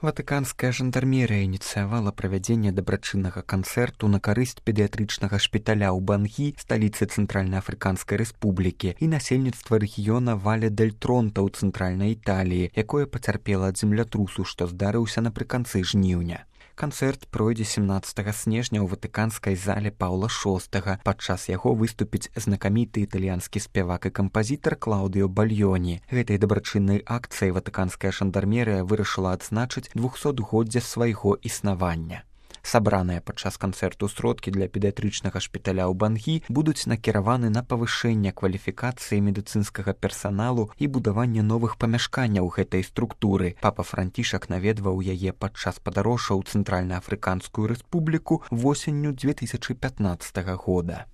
Ватыканская жандармерыя ініцыявала правядзенне дабрачыннага канцэрту на карысць педыятрычнага шпіталя ў Бангі, сталіцы Цэнтральнаафрыканскай рэспублікі, і насельніцтва рэгіёна Вале-дель-Тронта ў цэнтральнай Італіі, якое пацярпела ад землятрусу, што здарыўся напрыканцы жніўня. Канцэрт пройдзе 17 снежня ў ватыканскай зале Паўла VI. Падчас яго выступіць знакаміты італьянскі спявак і кампазітар Клаўдыо Бальёні. Гэтай дабрачыннай акцыяй ватыканская жандармерыя вырашыла адзначыць 200-годдзе свайго існавання. Сабраныя падчас канцэрту сродкі для педыятрычнага шпіталя ў Бангі будуць накіраваны на павышэнне кваліфікацыі медыцынскага персаналу і будаванне новых памяшканняў гэтай структуры. Папа Францішак наведваў яе падчас падарожжа ў Цэнтральнаафрыканскую рэспубліку восенню 2015 года.